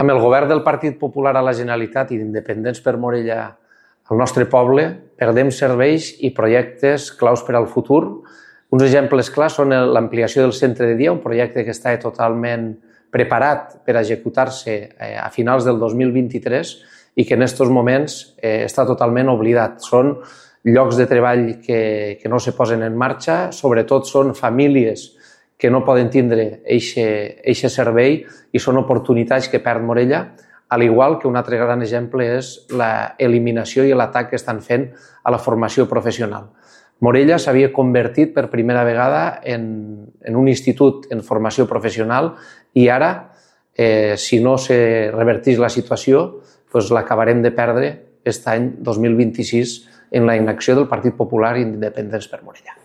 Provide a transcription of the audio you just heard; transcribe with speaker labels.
Speaker 1: Amb el govern del Partit Popular a la Generalitat i d'Independents per Morella al nostre poble, perdem serveis i projectes claus per al futur. Uns exemples clars són l'ampliació del centre de dia, un projecte que està totalment preparat per executar-se a finals del 2023 i que en aquests moments està totalment oblidat. Són llocs de treball que no se posen en marxa, sobretot són famílies que no poden tindre aquest servei i són oportunitats que perd Morella, al igual que un altre gran exemple és l'eliminació i l'atac que estan fent a la formació professional. Morella s'havia convertit per primera vegada en un institut en formació professional i ara, si no se reverteix la situació, l'acabarem de perdre aquest any 2026 en la inacció del Partit Popular i Independents per Morella.